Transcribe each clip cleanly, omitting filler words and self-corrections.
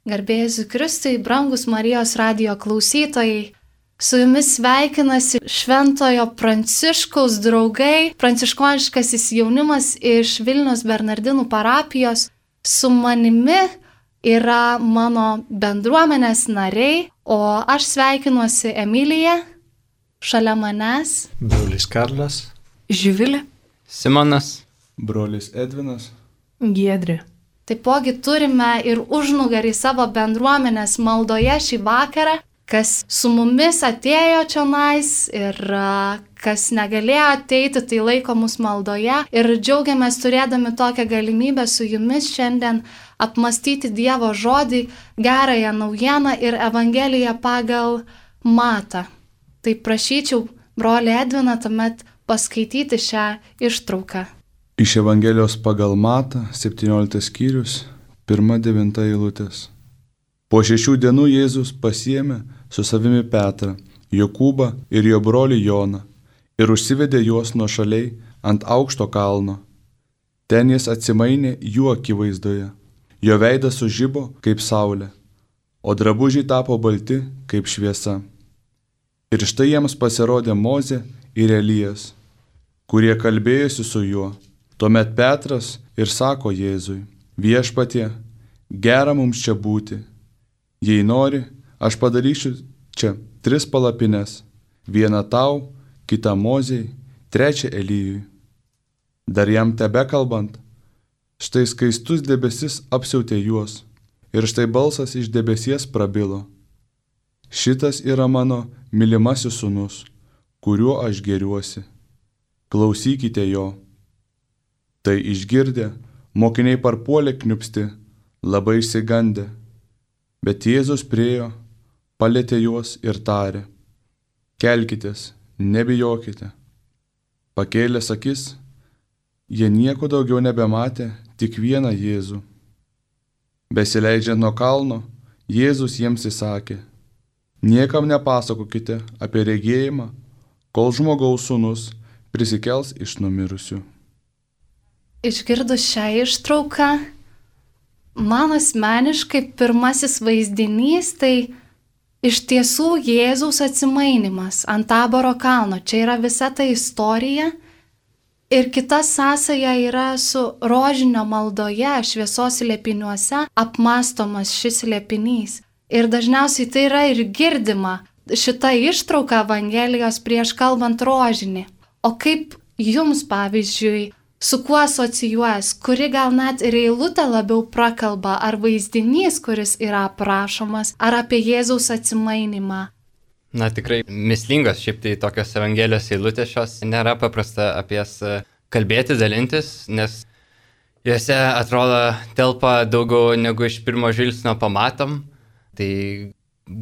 Garbė Jėzui Kristui, brangus Marijos radijo klausytojai. Su jumis sveikinasi Šventojo Pranciškaus draugai, pranciškoniškasis jaunimas iš Vilniaus Bernardinų parapijos. Su manimi yra mano bendruomenės nariai, o aš sveikinuosi Emilija, šalia manęs brolis Karlas, Živilė, Simonas, brolis Edvinas, Giedrė. Taipogi turime ir užnugarį savo bendruomenės maldoje šį vakarą, kas su mumis atėjo čionais ir kas negalėjo ateiti, tai laiko mus maldoje. Ir džiaugiamės turėdami tokią galimybę su jumis šiandien apmastyti Dievo žodį, gerąją naujieną ir Evangeliją pagal Matą. Tai prašyčiau brolį Edviną tuomet paskaityti šią ištrauką. Iš Evangelijos pagal Matą, 17 skyrius, 1-9 eilutės. Po 6 dienų Jėzus pasiėmė su savimi Petrą, Jokūbą ir jo brolį Joną ir užsivedė juos nuošaliai ant aukšto kalno. Ten jis atsimainė jų akivaizdoje. Jo veidas sužibo kaip saulė, o drabužiai tapo balti kaip šviesa. Ir štai jiems pasirodė Mozė ir Elijas, kurie kalbėjosi su juo. Tuomet Petras ir sako Jėzui: Viešpatie, gera mums čia būti. Jei nori, aš padarysiu čia 3 palapines, vieną tau, kitą Mozei, 3 Elijui. Dar jam tebekalbant, štai skaistus debesis apsiautė juos, ir štai balsas iš debesies prabilo: Šitas yra mano mylimasis sūnus, kuriuo aš gėriuosi. Klausykite jo. Tai išgirdę, mokiniai parpuolė kniupsti, labai išsigandę. Bet Jėzus priėjo, palietė juos ir tarė: Kelkitės, nebijokite. Pakėlęs akis, jie nieko daugiau nebematė, tik vieną Jėzų. Besileidžiant nuo kalno, Jėzus jiems įsakė: Niekam nepasakokite apie regėjimą, kol žmogaus sūnus prisikels iš numirusių. Išgirdus šią ištrauką, man asmeniškai pirmasis vaizdinys tai iš tiesų Jėzaus atsimainimas ant Taboro kalno. Čia yra visa ta istorija ir kita sąsaja yra su rožinio maldoje, šviesos slėpiniuose apmąstomas šis slėpinys. Ir dažniausiai tai yra ir girdima šita ištrauka Evangelijos prieš kalbant rožinį. O kaip jums, pavyzdžiui, su kuo asocijuojas, kuri gal net ir eilutė labiau prakalba, ar vaizdinys, kuris yra aprašomas, ar apie Jėzaus atsimainimą? Na tikrai mislingos šiaip tai tokios Evangelijos eilutės šios, nėra paprasta apie jas kalbėti, dalintis, nes juose atrodo telpa daugiau negu iš pirmo žvilgsnio pamatom. Tai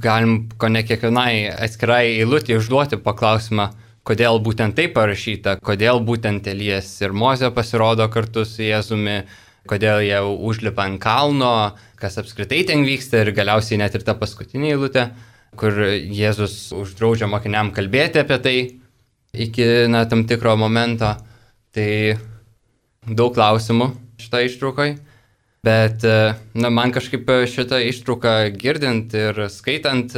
galim kone kiekvienai atskirai eilutė užduoti paklausimą, kodėl būtent taip parašyta, kodėl būtent Elijas ir Mozė pasirodo kartu su Jėzumi, kodėl jie užlipa ant kalno, kas apskritai ten vyksta ir galiausiai net ir ta paskutinė eilutė, kur Jėzus uždraudžia mokiniam kalbėti apie tai iki tam tikro momento. Tai daug klausimų šitą ištraukai, bet man kažkaip šitą ištrauką girdint ir skaitant,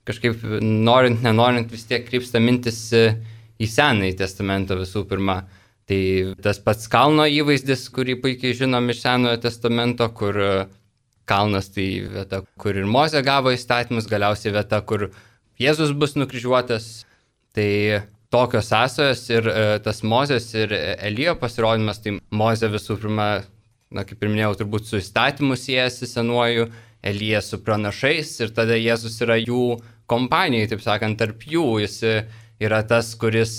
kažkaip norint, nenorint vis tiek krypsta mintis į Senąjį testamentą visų pirma. Tai tas pats kalno įvaizdis, kurį puikiai žinom iš Senojo testamento, kur kalnas tai vieta, kur ir Mozė gavo įstatymus, galiausiai vieta, kur Jėzus bus nukryžiuotas. Tai tokios sąsajos ir tas Mozės ir Elijo pasirodymas, tai Mozė visų pirma, kaip ir minėjau, turbūt su įstatymu siejasi senuoju, Elijas su pranašais ir tada Jėzus yra jų kompanijai, taip sakant, tarp jų. Jis yra tas, kuris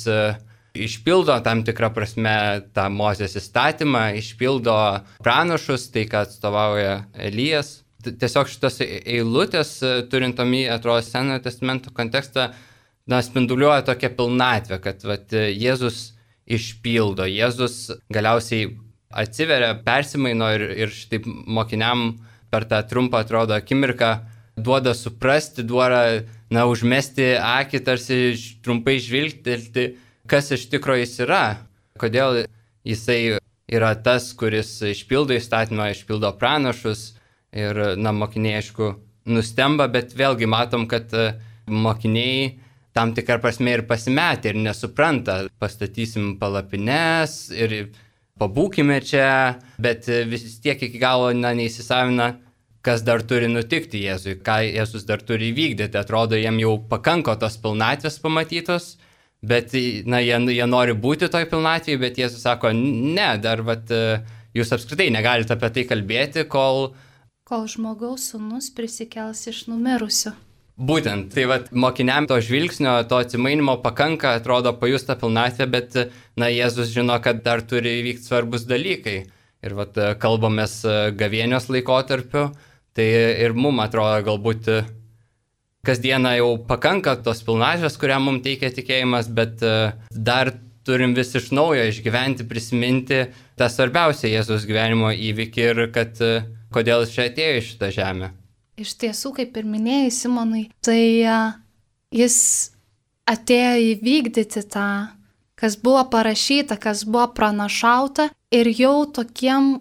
išpildo tam tikrą prasme tą Mozės įstatymą, išpildo pranašus, tai ką atstovauja Elijas. Tiesiog šitos eilutės, turint omeny, atrodo, Senojo testamento kontekstą, spinduliuoja tokią pilnatvę, kad Jėzus išpildo, Jėzus galiausiai atsiveria, persimaino ir šitaip mokiniam per tą trumpą, atrodo, akimirką duoda suprasti, duoda užmesti akį, tarsi trumpai žvilgtelti, kas iš tikrųjų jis yra, kodėl jisai yra tas, kuris išpildo įstatymą, išpildo pranašus, Ir, mokiniai, aišku, nustemba, bet vėlgi matom, kad mokiniai tam tikrą prasme ir pasimetė ir nesupranta. Pastatysim palapines ir pabūkime čia, bet vis tiek iki galo neįsisavina, kas dar turi nutikti Jėzui, ką Jėzus dar turi įvykdyti. Atrodo, jiem jau pakanko tos pilnatvės pamatytos, bet jie nori būti toj pilnatvėje, bet Jėzus sako, ne, dar jūs apskritai negalite apie tai kalbėti, kol žmogaus sūnus prisikels iš numirusių. Būtent, tai mokiniam to žvilgsnio, to atsimainimo pakanka, atrodo, pajusta pilnatvė, bet Jėzus žino, kad dar turi įvykti svarbus dalykai. Ir kalbamės gavėnios laikotarpiu, tai ir mums atrodo galbūt kasdieną jau pakanka tos pilnatvės, kurią mums teikia tikėjimas, bet dar turim vis iš naujo išgyventi, prisiminti tą svarbiausią Jėzus gyvenimo įvykį ir kad kodėl jis čia atėjo į šitą žemę. Iš tiesų, kaip ir minėjai, Simonai, tai jis atėjo įvykdyti tą, kas buvo parašyta, kas buvo pranašauta ir jau tokiem,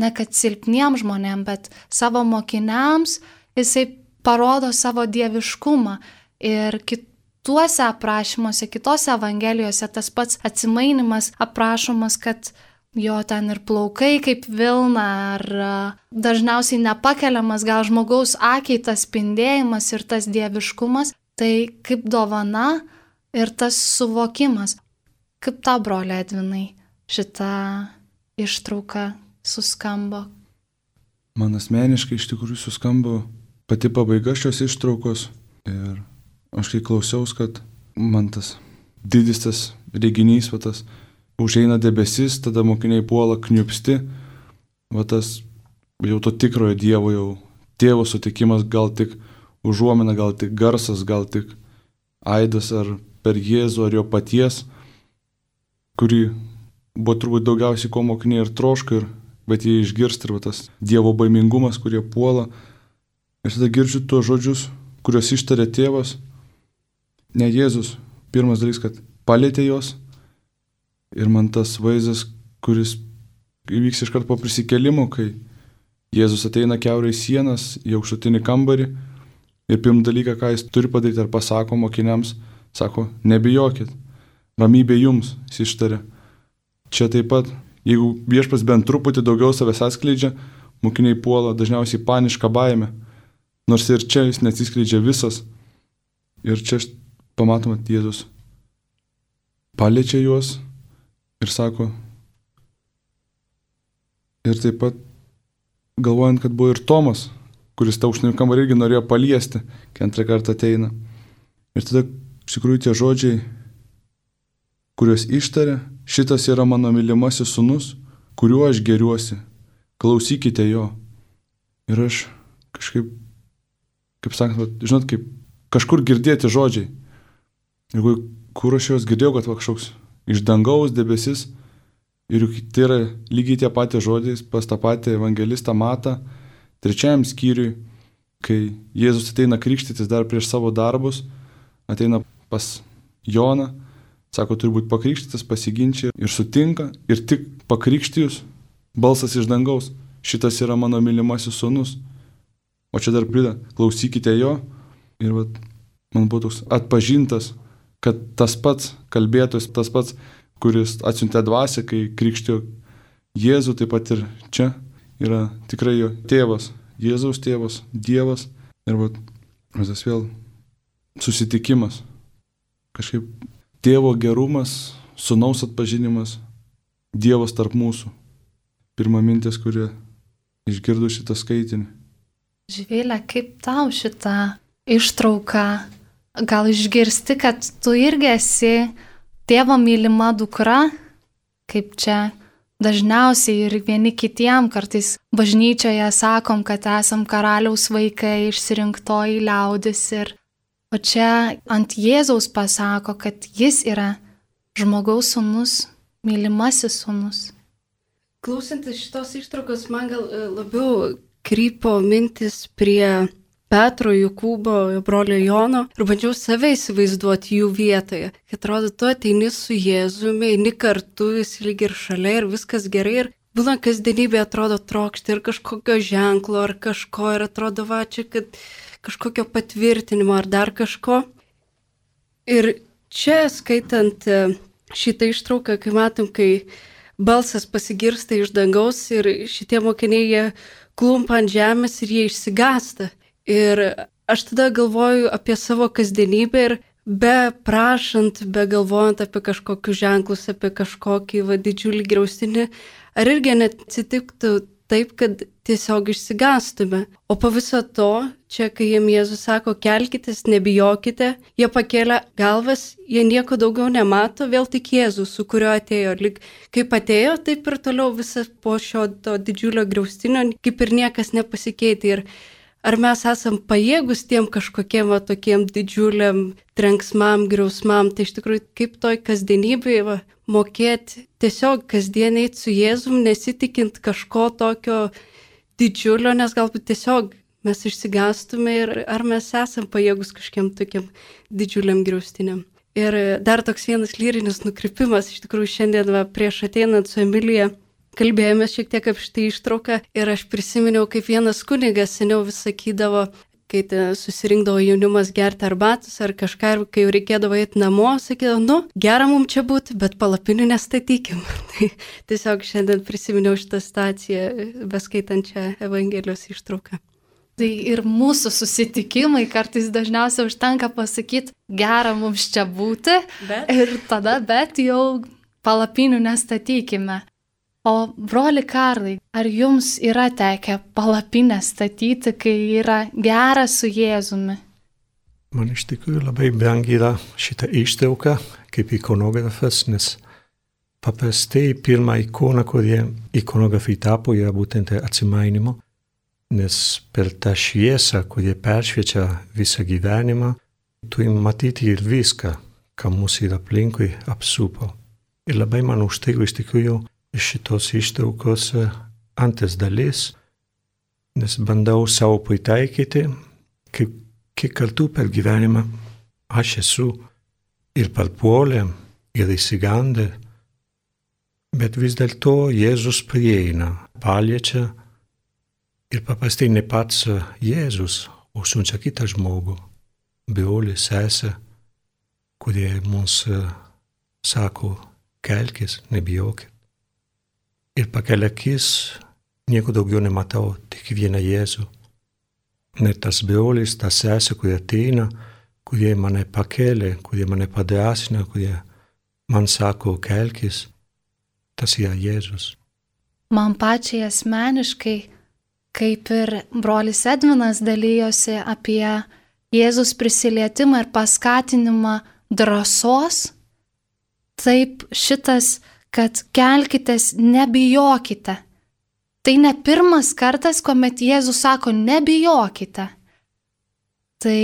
ne kad silpniem žmonėm, bet savo mokiniams jisai parodo savo dieviškumą. Ir kituose aprašymuose, kitose evangelijose tas pats atsimainimas aprašomas, kad jo ten ir plaukai kaip vilna, ar dažniausiai nepakeliamas gal žmogaus akiai tas spindėjimas ir tas dieviškumas, tai kaip dovana ir tas suvokimas. Kaip tau, broli Edvinai, šita ištrauka suskambo? Man asmeniškai iš tikrųjų suskambo pati pabaiga šios ištraukos ir aš kai klausiaus, kad man tas didis tas reginys, tas užeina debesis, tada mokiniai puola kniupsti, tas jau to tikrojo Dievo, jau tėvo sutikimas, gal tik užuomina, gal tik garsas, gal tik aidas ar per Jėzų ar jo paties, kurį buvo turbūt daugiausiai ko mokiniai ir troška, bet jie išgirsta ir tas Dievo baimingumas, kurie puola. Ir tada girdžiu tuos žodžius, kuriuos ištarė tėvas, ne Jėzus. Pirmas dalykas, kad palietė juos. Ir man tas vaizdas, kuris įvyks iškart po prisikėlimo, kai Jėzus ateina kiaurai sienas į aukštutinį kambarį ir pirmą dalyką, ką jis turi padaryti, ar pasako mokiniams, sako, nebijokit, ramybė jums, jis ištarė. Čia taip pat, jeigu viešpats bent truputį daugiau savęs atskleidžia, mokiniai puola dažniausiai panišką baimę, nors ir čia jis neatsiskleidžia visas. Ir čia pamatome, Jėzus paliečia juos ir sako, ir taip pat galvojant, kad buvo ir Tomas, kuris tą aukštinį kambarį irgi norėjo paliesti, kai antrą kartą ateina. Ir tada iš tikrųjų tie žodžiai, kuriuos ištarė, šitas yra mano mylimasis sūnus, kuriuo aš geriuosi, klausykite jo. Ir aš kažkaip, kaip sakant, žinot, kaip kažkur girdėti žodžiai. Ir kur aš juos girdėjau, kad kažkoks iš dangaus debesis, ir tai yra lygiai tie patys žodžiai pas tą patį evangelistą Matą, 3 skyriui, kai Jėzus ateina krikštytis dar prieš savo darbus, ateina pas Joną, sako, turi būti pakrikštytas, pasiginčia ir sutinka, ir tik pakrikštijus, balsas iš dangaus, šitas yra mano mylimasis sūnus. O čia dar prideda, klausykite jo, ir man buvo toks atpažintas, kad tas pats kalbėtojas, tas pats, kuris atsiuntė dvasią, kai krikštijo Jėzų, taip pat ir čia yra tikrai jo tėvas, Jėzaus tėvas, Dievas. Ir tas vėl susitikimas, kažkaip tėvo gerumas, sūnaus atpažinimas, Dievas tarp mūsų. Pirma mintis, kurie išgirdo šitą skaitinį. Živilė, kaip tau šitą ištrauką? Gal išgirsti, kad tu irgi esi tėvo mylima dukra, kaip čia dažniausiai ir vieni kitiem kartais bažnyčioje sakom, kad esam karaliaus vaikai, išsirinktoji liaudis. O čia ant Jėzaus pasako, kad jis yra žmogaus sūnus, mylimasis sūnus. Klausantis šitos ištraukos, man gal labiau krypo mintis prie Petro, Jokūbo, brolio Jono ir bandžiau save įsivaizduoti jų vietoje. Kad atrodo, tu ateini su Jėzumi, eini kartu, jis lyg ir šalia ir viskas gerai. Ir būna kasdienybė atrodo trokšti ir kažkokio ženklo ar kažko ir atrodo va čia, kad kažkokio patvirtinimo ar dar kažko. Ir čia skaitant šitą ištrauką, kai matom, kai balsas pasigirsta iš dangaus ir šitie mokiniai jie klumpa ant žemės ir jie išsigąsta. Ir aš tada galvoju apie savo kasdienybę ir be prašant, be galvojant apie kažkokius ženklus, apie kažkokį didžiulį griaustinį, ar irgi neatsitiktų taip, kad tiesiog išsigąstume. O po viso to, čia kai jiem Jėzus sako, kelkitės, nebijokite, jie pakėlė galvas, jie nieko daugiau nemato, vėl tik Jėzus, su kuriuo atėjo. Lyg kaip atėjo, taip ir toliau visą po šio to didžiulio griaustinio, kaip ir niekas nepasikeitė. Ir ar mes esam pajėgus tiem kažkokiem tokiem didžiuliam trenksmam, griausmam, tai iš tikrųjų kaip toj kasdienybėje mokėti tiesiog kasdieniai su Jėzum, nesitikint kažko tokio didžiulio, nes galbūt tiesiog mes išsigąstume ir ar mes esam pajėgus kažkiem tokiam didžiuliam griaustiniam. Ir dar toks vienas lyrinis nukrypimas, iš tikrųjų šiandien prieš ateinant su Emilija kalbėjome šiek tiek apie šitą ištrauką ir aš prisiminiau, kaip vienas kunigas seniau vis sakydavo, kai susirinkdavo jaunimas gerti arbatos ar kažką, ir kai jau reikėdavo eiti namo, sakydavo, gera mums čia būti, bet palapinių nestatykim. Tai tiesiog šiandien prisiminiau šitą situaciją, beskaitančią Evangelijos ištrauką. Tai ir mūsų susitikimai kartais dažniausiai užtenka pasakyti, gera mums čia būti, ir tada, bet jau palapinių nestatykime. O broli Karlai, ar jums yra tekę palapinę statyti, kai yra gera su Jėzumi? Man iš tikrųjų labai brangi yra šitą ištrauką kaip ikonografas, nes paprastai pirma ikona, kurie ikonografai tapo, yra būtent atsimainimo, nes per tą šviesą, kurie peršviečia visą gyvenimą, turim matyti ir viską, ką mūsų yra aplinkui apsupo. Ir labai man užtiko iš tikrųjų šitos ištraukos antras dalis, nes bandau savo pritaikyti, kiek kartų per gyvenimą aš esu ir parpuolę, ir įsigandę, bet vis dėlto Jėzus prieina, paliečia ir paprastai ne pats Jėzus, o siunčia kitą žmogų, brolį, sesę, kurie mums sako, kelkis, nebijokit. Ir pakelia akis, nieko daugiau nematau, tik vieną Jėzų. Net tas brolis, ta sesė, kurie ateina, kurie mane pakelia, kurie mane padrąsina, kurie man sako, kelkis, tas yra Jėzus. Man pačiai asmeniškai, kaip ir brolis Edvinas dalyjosi apie Jėzus prisilietimą ir paskatinimą drąsos, taip šitas, kad kelkitės, nebijokite. Tai ne pirmas kartas, kuomet Jėzus sako, nebijokite. Tai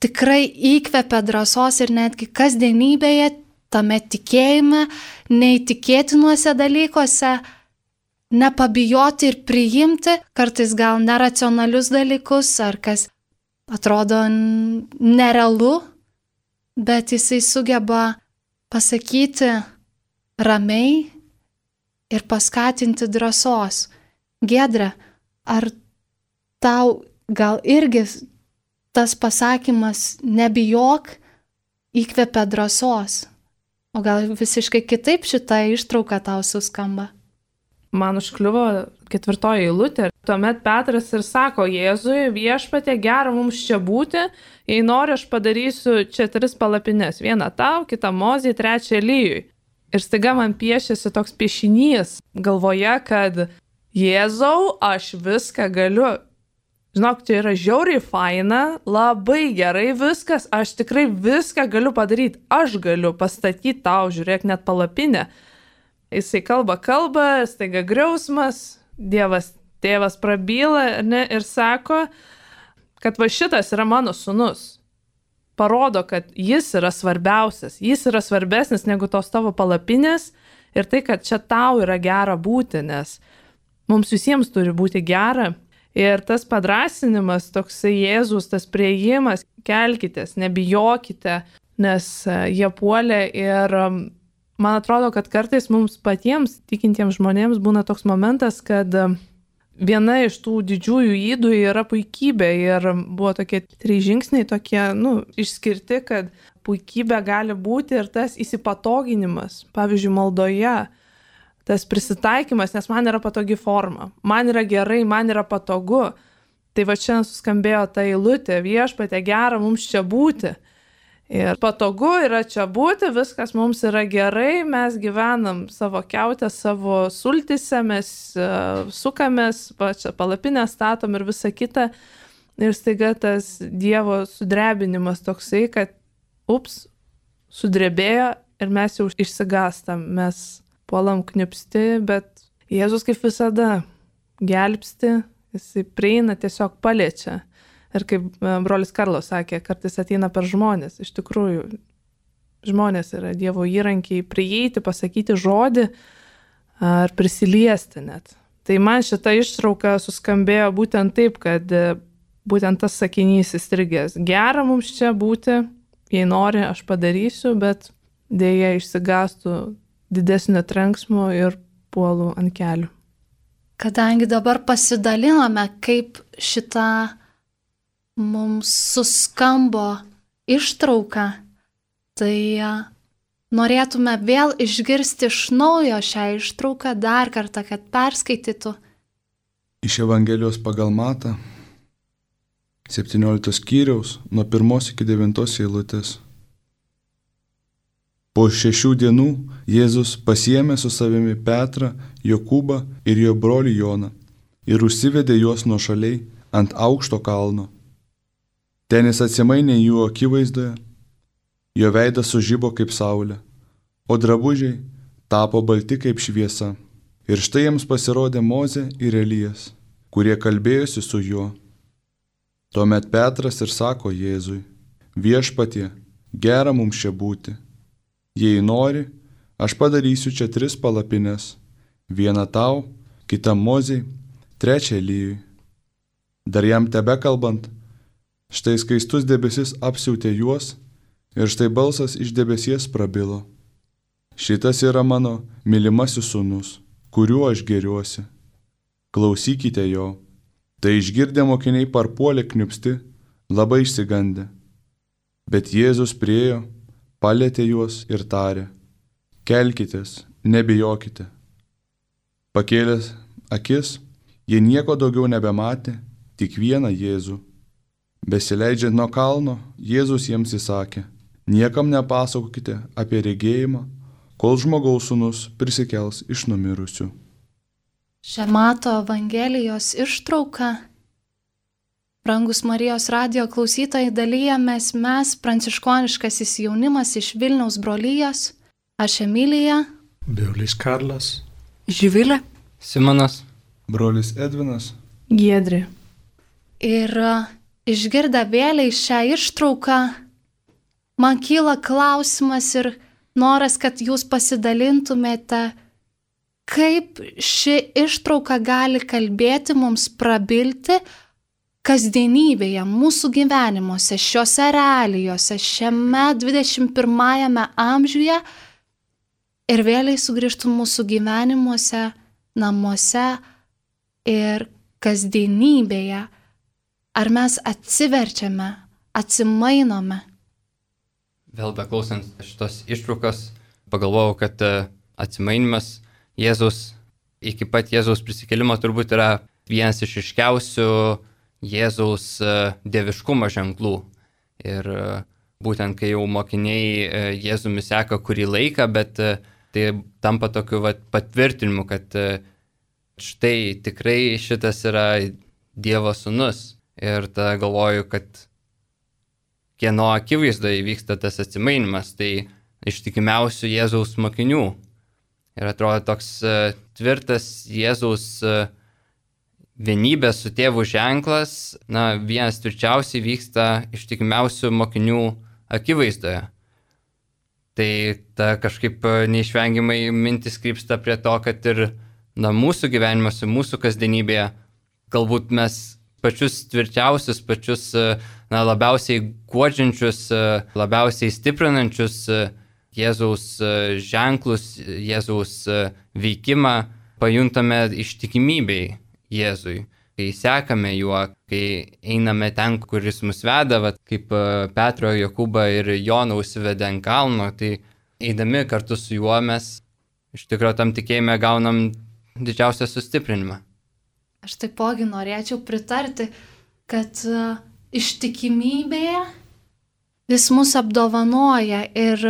tikrai įkvepia drąsos ir netgi kasdienybėje, tame tikėjime, neįtikėtinuose dalykuose, nepabijoti ir priimti, kartais gal neracionalius dalykus, ar kas atrodo nerealu, bet jisai sugeba pasakyti ramiai ir paskatinti drąsos. Giedre, ar tau gal irgi tas pasakymas nebijok įkvepia drąsos? O gal visiškai kitaip šitą ištrauką tau suskamba? Man užkliuvo 4 eilutė. Tuomet Petras ir sako Jėzui, viešpatie, gera mums čia būti, jei nori, aš padarysiu čia 3 palapines. Vieną tau, kitą Mozei, 3 Elijui. Ir staiga man piešėsi toks piešinys galvoje, kad Jėzau, aš viską galiu. Žinok, čia yra žiauriai faina, labai gerai viskas, aš tikrai viską galiu padaryti. Aš galiu pastatyti tau, žiūrėk, net palapinę. Jisai kalba, staiga griausmas, Dievas, tėvas prabyla ir sako, kad va šitas yra mano sūnus. Parodo, kad jis yra svarbiausias, jis yra svarbesnis negu tos tavo palapinės ir tai, kad čia tau yra gera būti, nes mums visiems turi būti gera. Ir tas padrąsinimas, toksai Jėzus, tas priėjimas, kelkitės, nebijokite, nes jie puolė ir Man atrodo, kad kartais mums patiems tikintiems žmonėms būna toks momentas, kad viena iš tų didžiųjų ydų yra puikybė ir buvo tokie 3 žingsniai tokie, išskirti, kad puikybė gali būti ir tas įsipatoginimas, pavyzdžiui, maldoje, tas prisitaikymas, nes man yra patogi forma, man yra gerai, man yra patogu. Tai va čia suskambėjo ta eilutė, viešpatie, gera mums čia būti. Ir patogu yra čia būti, viskas mums yra gerai, mes gyvenam savo kiautę, savo sultise, mes sukamės, čia palapinę statom ir visa kita. Ir staiga tas Dievo sudrebinimas toksai, kad sudrebėjo ir mes jau išsigastam, mes puolam knipsti, bet Jėzus kaip visada gelbsti, jisai prieina, tiesiog paliečia. Ir kaip brolis Karlos sakė, kartais ateina per žmonės. Iš tikrųjų, žmonės yra Dievo įrankiai prieiti, pasakyti žodį ar prisiliesti net. Tai man šita ištrauka suskambėjo būtent taip, kad būtent tas sakinys įstrigęs. Gera mums čia būti, jei nori, aš padarysiu, bet dėja išsigastų didesnio trenksmo ir puolu ant kelių. Kadangi dabar pasidalinome, kaip šitą mums suskambo ištrauka, tai norėtume vėl išgirsti iš naujo šią ištrauką dar kartą, kad perskaitytų. Iš Evangelijos pagal Matą, 17 skyriaus, nuo 1 iki 9 eilutės. Po 6 dienų Jėzus pasiėmė su savimi Petrą, Jokūbą ir jo brolį Joną ir užsivedė juos nuošaliai ant aukšto kalno. Ten jis atsimainė jų akivaizdoje, jo veidas sužibo kaip saulė, o drabužiai tapo balti kaip šviesa. Ir štai jiems pasirodė Mozė ir Elijas, kurie kalbėjosi su juo. Tuomet Petras ir sako Jėzui, viešpatie, gera mums čia būti. Jei nori, aš padarysiu čia 3 palapines, vieną tau, kitą Mozei, trečią Elijui. Dar jam tebekalbant, štai skaistus debesis apsiautė juos ir štai balsas iš debesies prabilo. Šitas yra mano mylimasis sūnus, kuriuo aš gėriuosi. Klausykite jo. Tai išgirdę mokiniai parpuolė kniupsti, labai išsigandę. Bet Jėzus priėjo, palietė juos ir tarė, kelkitės, nebijokite. Pakėlęs akis, jie nieko daugiau nebematė, tik vieną Jėzų. Besileidžiant nuo kalno, Jėzus jiems įsakė, niekam nepasakokite apie regėjimą, kol žmogaus sūnus prisikels iš numirusių. Šią Mato Evangelijos ištrauką, brangus Marijos radijo klausytojai, dalyjamės mes, pranciškoniškasis jaunimas iš Vilniaus brolijos, aš Emilija, brolis Karlas, Živilė, Simonas, brolis Edvinas, Giedrė. Ir išgirdę vėliai šią ištrauką, man kyla klausimas ir noras, kad jūs pasidalintumėte, kaip ši ištrauka gali kalbėti mums, prabilti kasdienybėje, mūsų gyvenimuose, šiuose realijose, šiame 21 amžiuje ir vėliai sugrįžtų mūsų gyvenimuose, namuose ir kasdienybėje. Ar mes atsiverčiame, atsimainome? Vėl beklausant šitos ištraukos, pagalvojau, kad atsimainimas Jėzus iki pat Jėzaus prisikėlimo turbūt yra vienas iš ryškiausių Jėzaus dieviškumo ženklų. Ir būtent kai jau mokiniai Jėzumi seka kurį laiką, bet tai tampa tokiu patvirtinimu, kad štai tikrai šitas yra Dievo sūnus. Ir tada galvoju, kad kieno akivaizdoje vyksta tas atsimainimas, tai ištikimiausių Jėzaus mokinių. Ir atrodo toks tvirtas Jėzaus vienybės su tėvu ženklas, vienas tvirčiausiai vyksta ištikimiausių mokinių akivaizdoje. Tai ta kažkaip neišvengiamai mintis krypsta prie to, kad ir mūsų gyvenimuose, mūsų kasdienybėje, galbūt mes pačius tvirčiausius, pačius labiausiai guodžiančius, labiausiai stiprinančius Jėzaus ženklus, Jėzaus veikimą pajuntame ištikimybei Jėzui. Kai sekame juo, kai einame ten, kuris mus veda, kaip Petro, Jokūbą ir Joną užsivedė ant kalno, tai eidami kartu su juo mes iš tikrųjų tam tikėjime gaunam didžiausią sustiprinimą. Aš taipogi norėčiau pritarti, kad ištikimybėje jis mus apdovanoja ir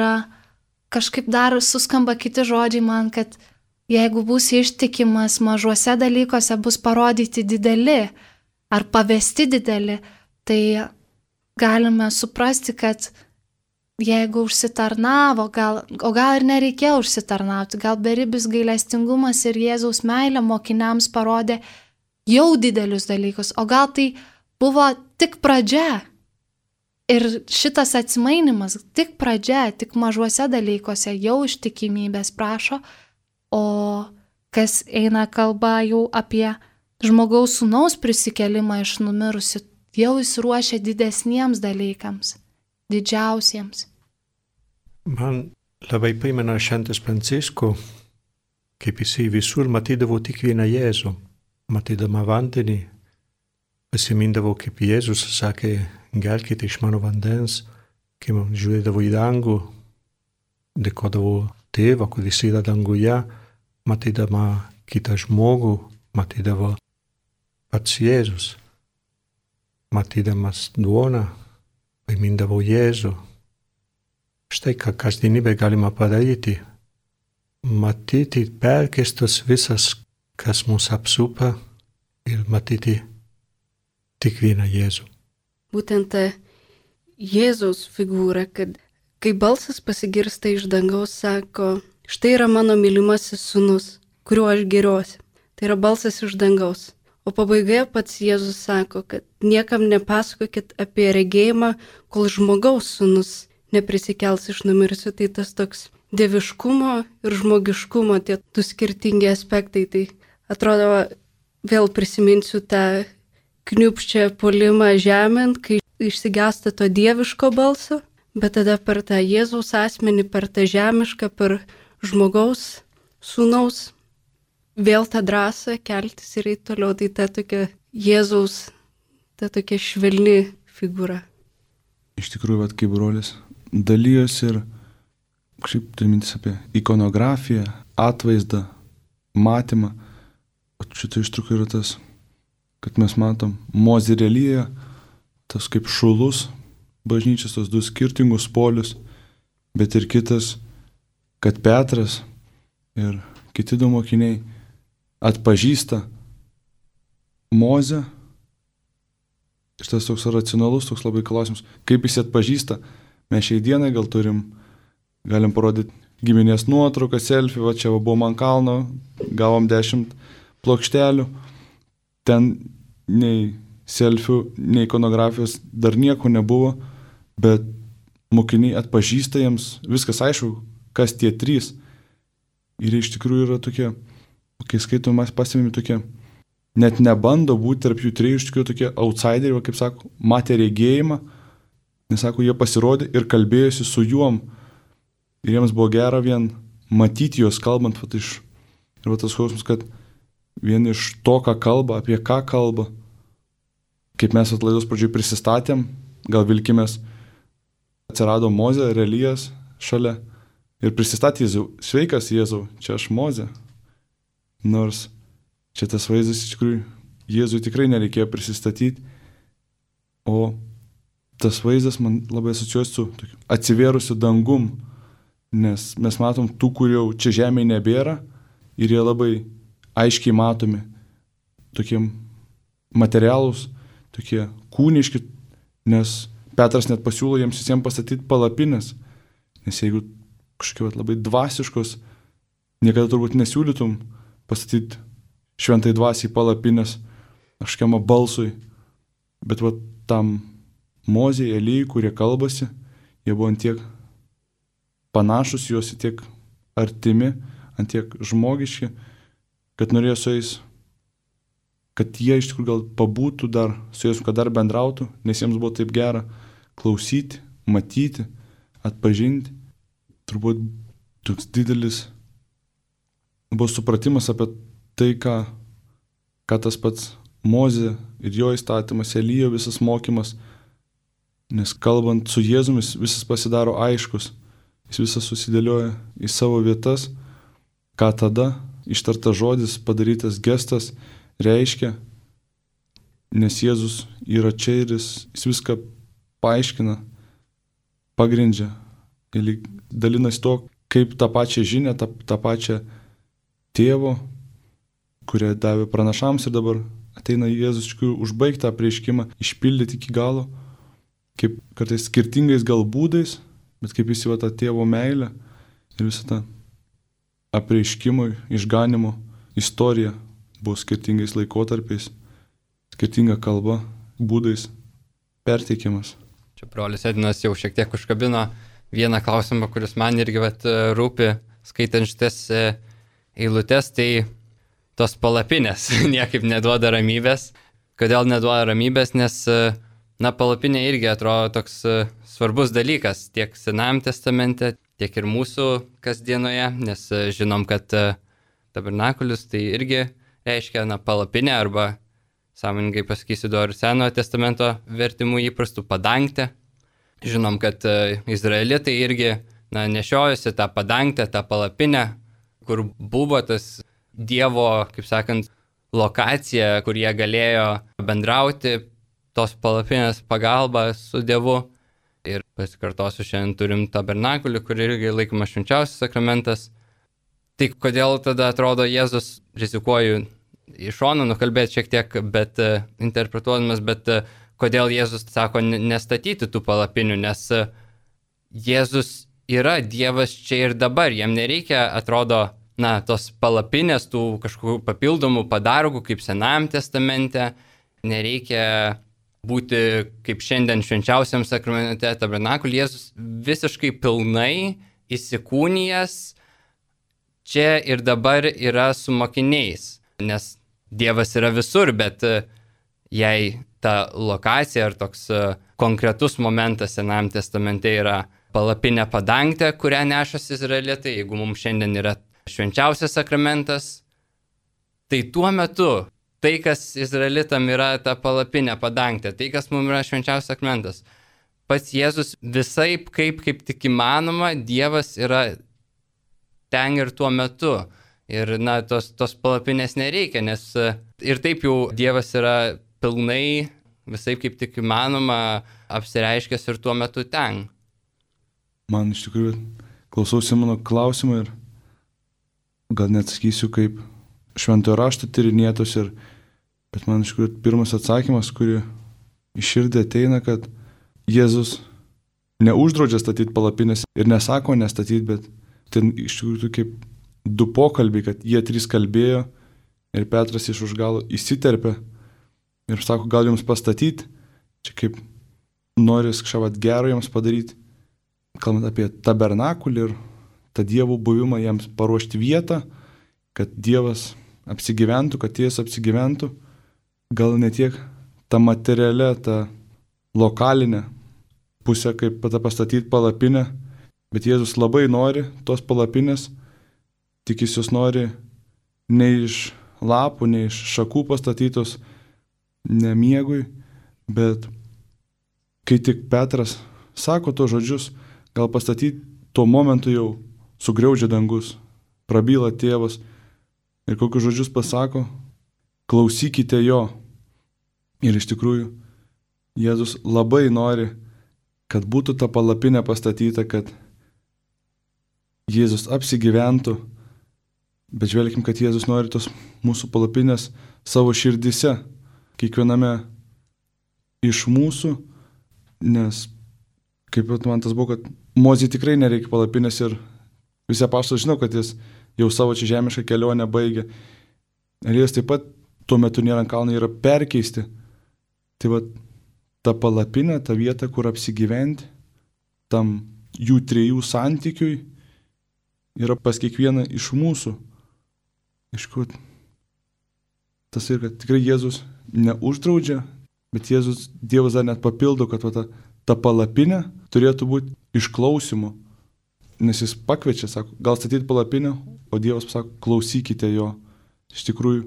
kažkaip dar suskamba kiti žodžiai man, kad jeigu būsi ištikimas mažuose dalykuose, bus parodyti dideli ar pavesti dideli, tai galime suprasti, kad jeigu užsitarnavo, o gal ir nereikėjo užsitarnauti, gal beribis gailestingumas ir Jėzaus meilė mokiniams parodė jau didelius dalykus, o gal tai buvo tik pradžia. Ir šitas atsimainimas tik pradžia, tik mažuose dalykuose jau ištikimybės prašo, o kas eina kalba jau apie žmogaus sūnaus prisikelimą iš numirusių, jau jis ruošia didesniems dalykams, didžiausiems. Man labai primena Šventas Pranciškus, kaip jisai visur matydavo tik vieną Jėzų, matydama vandenį, pasimindavo, kaip Jėzus sakė, gerkite iš mano vandens, kai man žiūrėdavo į dangų, dėkodavo tėvą, kuris yra danguje, matydama kitą žmogų, matydavo pats Jėzus, matydamas duoną, primindavo Jėzų. Štai ką kasdienybė galima padaryti, matyti perkeistas visas, kas mus apsupa ir matyti tik vieną Jėzų. Būtent ta Jėzaus figūra, kad kai balsas pasigirsta iš dangaus, sako, štai yra mano mylimasis sūnus, kuriuo aš gėriuosi. Tai yra balsas iš dangaus. O pabaigoje pats Jėzus sako, kad niekam nepasakokit apie regėjimą, kol žmogaus sūnus neprisikels iš numirusių. Tai tas toks dieviškumo ir žmogiškumo, tie du skirtingi aspektai. Tai atrodo, vėl prisiminsiu tą kniupščią puolimą žemėn, kai išsigąsta to dieviško balso, bet tada per tą Jėzaus asmenį, per tą žemišką, per žmogaus sūnaus, vėl tą drąsą keltis ir eiti toliau. Tai ta tokia Jėzaus, ta tokia švelni figūra. Iš tikrųjų, kaip brolis dalyjosi ir kažkaip turi mintis apie ikonografiją, atvaizdą, matymą. O šitą ištrauką yra tas, kad mes matom Mozė ir Elija, tas kaip šulus bažnyčios, tos du skirtingus polius, bet ir kitas, kad Petras ir kiti du mokiniai atpažįsta Mozę. Ir tas toks racionalus, toks labai klausimas, kaip jis atpažįsta. Mes šiai dienai gal galim parodyti giminės nuotrauką, selfie, va čia buvom ant kalno, gavom 10 plokštelių. Ten nei selfių, nei ikonografijos dar nieko nebuvo, bet mokiniai atpažįsta jiems, viskas aišku, kas tie 3. Ir iš tikrųjų yra tokie, kai skaitom, mes pasimėm tokie, net nebando būti tarp jų 3, iš tikrųjų tokie outsideriai, kaip sako, matė regėjimą, nes sako, jie pasirodė ir kalbėjosi su juom. Ir jiems buvo gera vien matyti juos kalbant, ir tas skausmas, kad vien iš to, ką kalba, apie ką kalba, kaip mes atlaidos pradžioj prisistatėm, gal vilkimės, atsirado Mozė ir Elijas šalia ir prisistatė Jėzau, sveikas Jėzau, čia aš Mozė. Nors čia tas vaizdas iš tikrųjų Jėzui tikrai nereikėjo prisistatyti, o tas vaizdas man labai asociuosi su atsivėrusiu dangum, nes mes matom tų, kur jau čia žemėje nebėra ir jie labai aiškiai matomi, tokie materialūs, tokie kūniški, nes Petras net pasiūlo jiems visiems pastatyti palapines, nes jeigu kažkokie labai dvasiškos, niekada turbūt nesiūlytum pastatyti šventai dvasiai palapines kažkiam balsui, bet tam Mozei, Elijai, kurie kalbasi, jie buvo ant tiek panašus, juos tiek artimi, ant tiek žmogiški, kad norėjo su jais, kad jie iš tikrųjų gal pabūtų dar, su jais, kad dar bendrautų, nes jiems buvo taip gera klausyti, matyti, atpažinti. turbūt toks didelis buvo supratimas apie tai, ką tas pats Mozė ir jo įstatymas, Elijo visas mokymas, nes kalbant su Jėzumis visas pasidaro aiškus, jis visas susidėlioja į savo vietas, ką tada ištartas žodis, padarytas gestas reiškia, nes Jėzus yra čia ir jis viską paaiškina, pagrindžia ir dalinasi to, kaip tą pačią žinią, tą pačią tėvo, kurią davė pranašams ir dabar ateina Jėzus užbaigti tą apreiškimą, išpildyti iki galo, kaip kartais skirtingais gal būdais, bet kaip jis tą tėvo meilę ir visą tą apreiškimo, išganimo istoriją buvo skirtingais laikotarpiais, skirtinga kalba, būdais perteikiamas. Čia brolis Edinas jau šiek tiek užkabino vieną klausimą, kuris man irgi rūpi, skaitant šitas eilutes, tai tos palapinės niekaip neduoda ramybės. Kodėl neduoda ramybės? Nes, palapinė irgi atrodo toks svarbus dalykas tiek Senajam testamente, tiek ir mūsų kasdienoje, nes žinom, kad tabernakulis tai irgi reiškia palapinė arba, sąmoningai pasakysiu, ir Senojo testamento vertimų įprastų padangtę. Žinom, kad izraelitai irgi nešiojosi tą padangtę, tą palapinę, kur buvo tas Dievo, kaip sakant, lokacija, kur jie galėjo bendrauti tos palapinės pagalba su Dievu. Ir pasikartosiu, šiandien turim tabernakulį, kur irgi laikomas švenčiausias sakramentas. Tai kodėl tada atrodo Jėzus, rizikuoju iš šono nukalbėti šiek tiek, bet interpretuodamas, bet kodėl Jėzus sako nestatyti tų palapinių, nes Jėzus yra Dievas čia ir dabar, jam nereikia, atrodo, tos palapinės, tų kažkokių papildomų padargų, kaip Senajam testamente, nereikia būti kaip šiandien švenčiausiam sakramente tabernakulį. Jėzus visiškai pilnai įsikūnijęs čia ir dabar yra su mokiniais, nes Dievas yra visur, bet jei ta lokacija ar toks konkretus momentas Senajam testamente yra palapinė padangtė, kurią nešasi izraelitai, jeigu mums šiandien yra švenčiausias sakramentas, tai tuo metu tai, kas izraelitam yra ta palapinė padangtė, tai, kas mums yra švenčiausias sakramentas, pats Jėzus visaip, kaip tik įmanoma, Dievas yra ten ir tuo metu. Ir tos palapinės nereikia, nes ir taip jau Dievas yra pilnai, visaip kaip tik įmanoma, apsireiškęs ir tuo metu ten. Man iš tikrųjų klausausi mano klausimą ir gal net sakysiu kaip šventojo rašto tyrinėtos, bet man iš tikrųjų pirmas atsakymas, kurį iš širdį ateina, kad Jėzus neuždraudžia statyti palapinės ir nesako nestatyti, bet ten iš tikrųjų kaip du pokalbiai, kad jie trys kalbėjo ir Petras iš už galo įsiterpė ir sako, gal jums pastatyti, čia kaip noris kažką gero jiems padaryti, kalbant apie tabernakulį ir tą Dievo buvimą, jiems paruošti vietą, kad Dievas apsigyventų, kad Jėzus apsigyventų, gal ne tiek tą materialę, tą lokalinę pusę, kaip pastatyti palapinę, bet Jėzus labai nori tos palapinės, tik jis jos nori ne iš lapų, ne iš šakų pastatytos, ne miegui, bet kai tik Petras sako to žodžius, gal pastatyti tuo momentu jau sugriaudžia dangus, prabyla tėvas ir kokius žodžius pasako, klausykite jo. Ir iš tikrųjų Jėzus labai nori, kad būtų ta palapinė pastatyta, kad Jėzus apsigyventų, bet žvelkim, kad Jėzus nori tos mūsų palapinės savo širdise, kiekviename iš mūsų, nes kaip man tas buvo, kad Mozei tikrai nereikia palapinės ir visi apaštalai žino, kad jis jau savo čia žemišką kelionę baigė. Elijas taip pat tuo metu nėra ant kalno, yra perkeisti. Tai va, ta palapinė, ta vieta, kur apsigyventi, tam jų trijų santykiui yra pas kiekvieną iš mūsų. Iš kur tas ir kad tikrai Jėzus neuždraudžia, bet Jėzus, Dievas dar net papildo, kad ta palapinė turėtų būti išklausimo. nes jis pakviečia, sako, gal statyti palapinę, o Dievas sako, klausykite jo. Iš tikrųjų,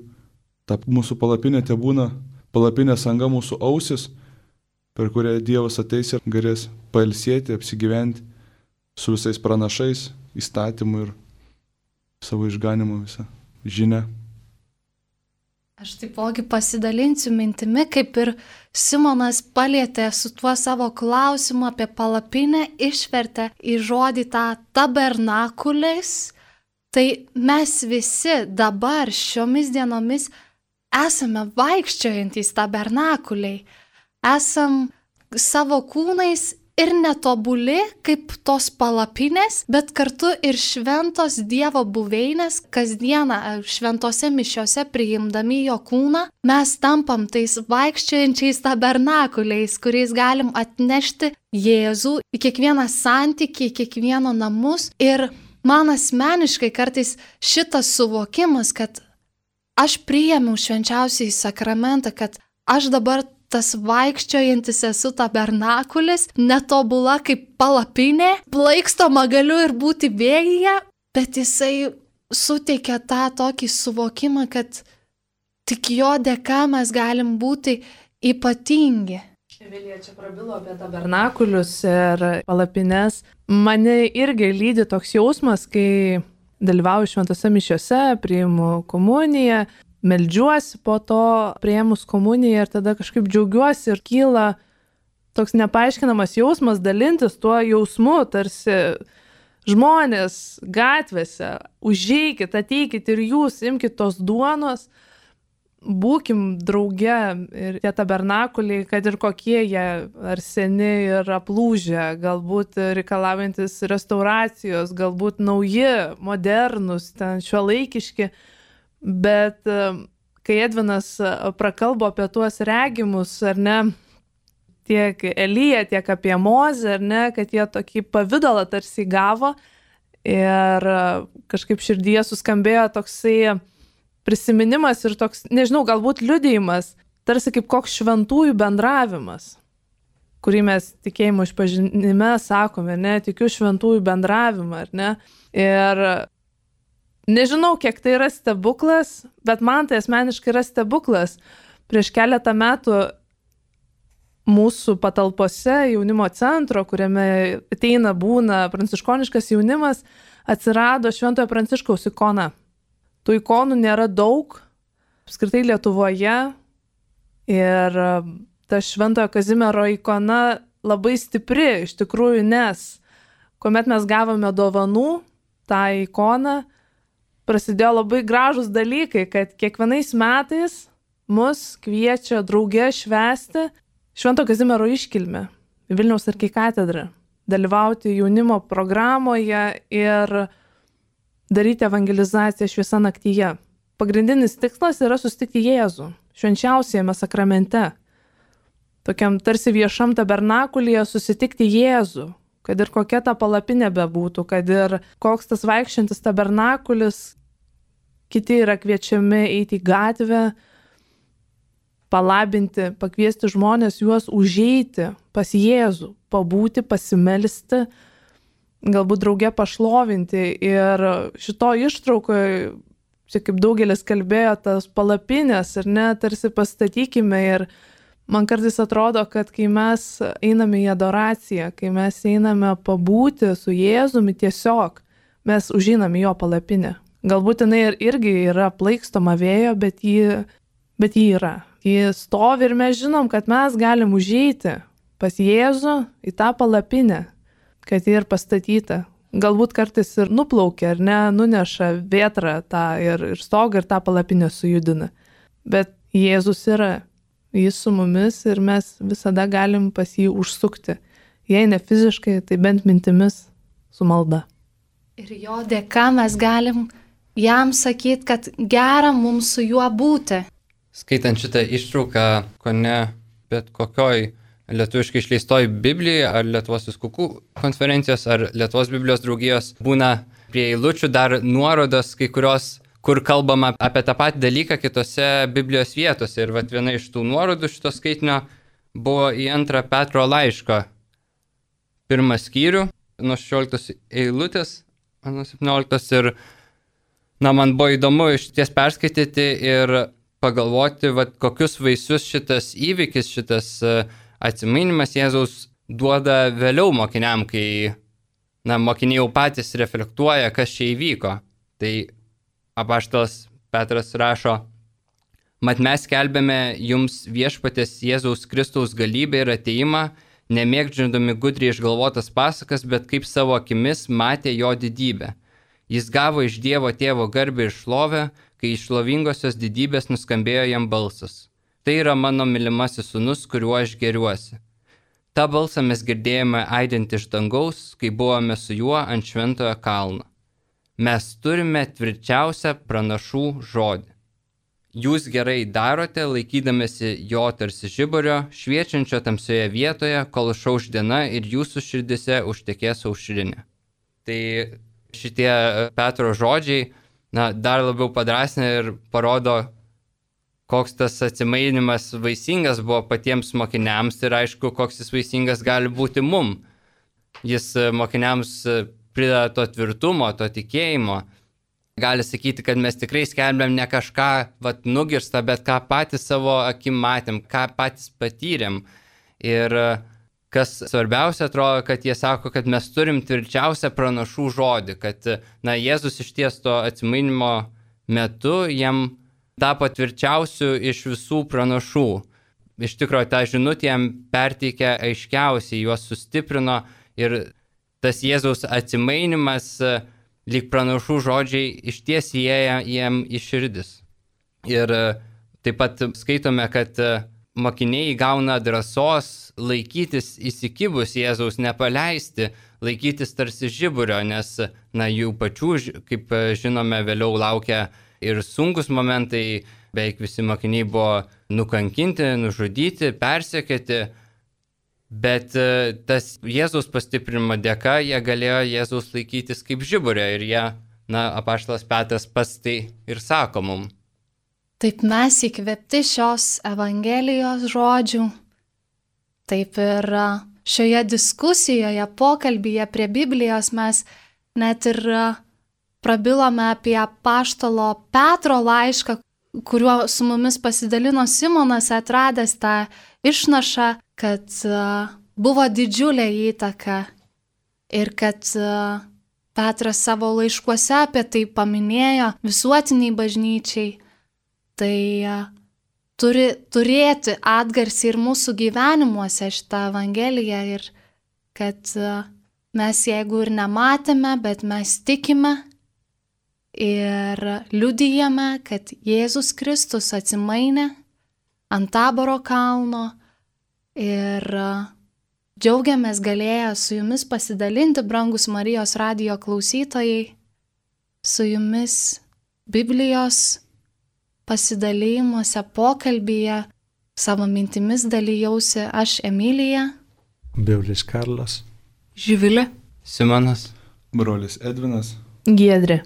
ta mūsų palapinė te būna palapinės anga mūsų ausis, per kurią Dievas ateis ir galės pailsėti, apsigyventi su visais pranašais, įstatymu ir savo išganimu visą žinią. Aš taipogi pasidalinsiu mintimi, kaip ir Simonas palietė su tuo savo klausimu apie palapinę, išvertė į žodį tą tabernakulis. Tai mes visi dabar šiomis dienomis esame vaikščiojantys tabernakuliai. Esam savo kūnais ir netobuli kaip tos palapinės, bet kartu ir šventos Dievo buveinės, kasdieną šventose mišiose priimdami jo kūną, mes tampam tais vaikščiojančiais tabernakuliais, kuriais galim atnešti Jėzų į kiekvieną santykį, į kiekvieno namus. Ir man asmeniškai kartais šitas suvokimas, kad aš priėmiau švenčiausiąjį sakramentą, kad aš dabar tas vaikščiojantis esu tabernakulis, netobula kaip palapinė, plaikstoma galiu ir būti vėjyje, bet jisai suteikia tą tokį suvokimą, kad tik jo dėka mes galim būti ypatingi. Vilija čia prabilo apie tabernakulius ir palapines. Mane irgi lydi toks jausmas, kai dalyvauju šventose mišiose, priimu komuniją, meldžiuosi po to, priėmus komuniją ir tada kažkaip džiaugiuosi ir kyla toks nepaaiškinamas jausmas dalintis tuo jausmu, tarsi žmonės gatvėse, užeikit, ateikit ir jūs, imkit tos duonos, būkim drauge ir tie tabernakuliai, kad ir kokie jie, ar seni ir aplūžę, galbūt reikalaujantis restauracijos, galbūt nauji, modernus, ten šiuolaikiški. Bet kai Edvinas prakalbo apie tuos regimus, ar ne, tiek Eliją, tiek apie Mozę, ar ne, kad jie tokį pavidalą tarsi gavo ir kažkaip širdyje suskambėjo toksai prisiminimas ir toks, nežinau, galbūt liudijimas, tarsi kaip koks šventųjų bendravimas, kurį mes tikėjimo išpažinime sakome, ne, tikiu šventųjų bendravimą, ar ne, ir nežinau, kiek tai yra stebuklas, bet man tai asmeniškai yra stebuklas. Prieš keletą metų mūsų patalpose jaunimo centro, kuriame ateina būna pranciškoniškas jaunimas, atsirado Šventojo Pranciškaus ikona. Tų ikonų nėra daug, apskritai Lietuvoje, ir ta Šventojo Kazimiero ikona labai stipri, iš tikrųjų, nes kuomet mes gavome dovanų tą ikoną, prasidėjo labai gražus dalykai, kad kiekvienais metais mus kviečia drauge švęsti Švento Kazimiero iškilmę Vilniaus arkikatedrą, dalyvauti jaunimo programoje ir daryti evangelizaciją šviesa naktyje. Pagrindinis tikslas yra susitikti Jėzų švenčiausiame sakramente, tokiam tarsi viešam tabernakulyje susitikti Jėzų, kad ir kokia ta palapinė bebūtų, kad ir koks tas vaikščiantis tabernakulis, kiti yra kviečiami eiti į gatvę, palabinti, pakviesti žmonės juos užeiti pas Jėzų, pabūti, pasimelsti, galbūt drauge pašlovinti. Ir šito ištraukoje, čia kaip daugelis kalbėjo, tas palapinės, ir ne, tarsi pastatykime. Ir man kartais atrodo, kad kai mes einame į adoraciją, kai mes einame pabūti su Jėzumi tiesiog, mes užeiname į jo palapinę. Galbūt jinai irgi yra plaikstoma vėjo, bet ji yra. Ji stovi ir mes žinom, kad mes galim užeiti pas Jėzų į tą palapinę, kad ji ir pastatyta. Galbūt kartais ir nuplaukia, ar ne, nuneša vėtrą tą ir stogą ir tą palapinę sujudina. Bet Jėzus yra. Jis su mumis ir mes visada galim pas jį užsukti. Jei ne fiziškai, tai bent mintimis su malda. Ir jo dėka mes galim jam sakyti, kad gera mums su juo būti. Skaitant šitą ištrauką, kone bet kokioj lietuviškai išleistoj Biblijoje, ar Lietuvos vyskupų konferencijos, ar Lietuvos Biblijos draugijos, būna prie eilučių dar nuorodos kai kurios, kur kalbama apie tą patį dalyką kitose Biblijos vietose. Ir viena iš tų nuorodų šito skaitinio buvo į 2 Petro laiško 1 skyrių, nuo 16 eilutės, nuo 17 ir, man buvo įdomu iš ties perskaityti ir pagalvoti, kokius vaisius šitas įvykis, šitas atsimainimas Jėzaus duoda vėliau mokiniam, kai, mokiniai jau patys reflektuoja, kas čia įvyko. Tai apaštalas Petras rašo: Mat mes skelbėme jums viešpaties Jėzaus Kristaus galybę ir atėjimą, nemėgdžiandami gudriai išgalvotas pasakas, bet kaip savo akimis matė jo didybę. Jis gavo iš Dievo Tėvo garbę ir šlovę, kai iš šlovingosios didybės nuskambėjo jam balsas. Tai yra mano mylimasis sūnus, kuriuo aš gėriuosi. Ta balsą mes girdėjome aidinti iš dangaus, kai buvome su juo ant šventojo kalno. Mes turime tvirčiausią pranašų žodį. Jūs gerai darote, laikydamėsi jo tarsi žiburio, šviečiančio tamsioje vietoje, kol išauš diena ir jūsų širdise užtekės aušrinė. Tai šitie Petro žodžiai, dar labiau padrasina ir parodo, koks tas atsimainimas vaisingas buvo patiems mokiniams ir aišku, koks jis vaisingas gali būti mum. Jis mokiniams prideda to tvirtumo, to tikėjimo. Gali sakyti, kad mes tikrai skelbėm ne kažką nugirstą, bet ką patys savo akim matėm, ką patys patyrėm. Ir kas svarbiausia, atrodo, kad jie sako, kad mes turim tvirčiausią pranašų žodį, kad Jėzus iš ties to atsimainimo metu jam tapo tvirčiausiu iš visų pranašų. Iš tikrųjų, tą žinutę jam perteikė aiškiausiai, juos sustiprino ir tas Jėzaus atsimainimas, lyg pranašų žodžiai, iš ties įėjo jam į širdis. Ir taip pat skaitome, kad mokiniai gauna drąsos laikytis įsikibus Jėzaus, nepaleisti, laikytis tarsi žiburio, nes jų pačių, kaip žinome, vėliau laukia ir sunkus momentai, beveik visi mokiniai buvo nukankinti, nužudyti, persekioti, bet tas Jėzaus pastiprinimo dėka jie galėjo Jėzaus laikytis kaip žiburio ir jie, apaštalas Petras pats tai ir sako mum. Taip mes įkvėpti šios Evangelijos žodžių, taip ir šioje diskusijoje, pokalbyje prie Biblijos mes net ir prabilome apie apaštalo Petro laišką, kuriuo su mumis pasidalino Simonas, atradęs tą išnašą, kad buvo didžiulė įtaka ir kad Petras savo laiškuose apie tai paminėjo visuotiniai bažnyčiai. Tai turi turėti atgarsį ir mūsų gyvenimuose šitą Evangeliją ir kad mes jeigu ir nematėme, bet mes tikime ir liudijame, kad Jėzus Kristus atsimainė ant Taboro kalno ir džiaugiamės galėję su jumis pasidalinti, brangus Marijos radijo klausytojai, su jumis Biblijos pasidalymuose, pokalbyje, savo mintimis dalijausi aš Emilija, Beulis Karlas, Živilė, Simonas, brolis Edvinas, Giedrė.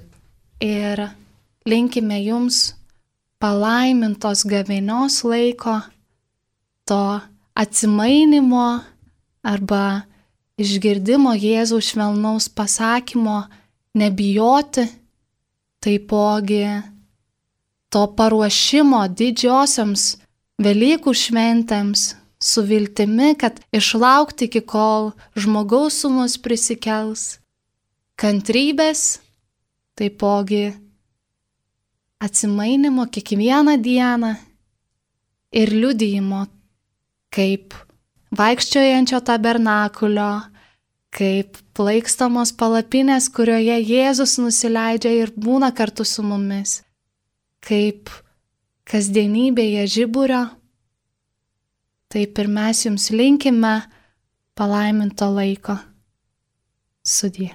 ir linkime jums palaimintos gavėnios laiko, to atsimainimo arba išgirdimo Jėzaus švelnaus pasakymo nebijoti, taipogi to paruošimo didžiosioms Velykų šventėms su viltimi, kad išlaukti iki kol žmogaus sūnus prisikels, kantrybės, taipogi atsimainimo kiekvieną dieną ir liudijimo, kaip vaikščiojančio tabernakulio, kaip plaikstamos palapinės, kurioje Jėzus nusileidžia ir būna kartu su mumis, kaip kasdienybėje žiburio. Taip ir mes jums linkime palaiminto laiko. Sudie.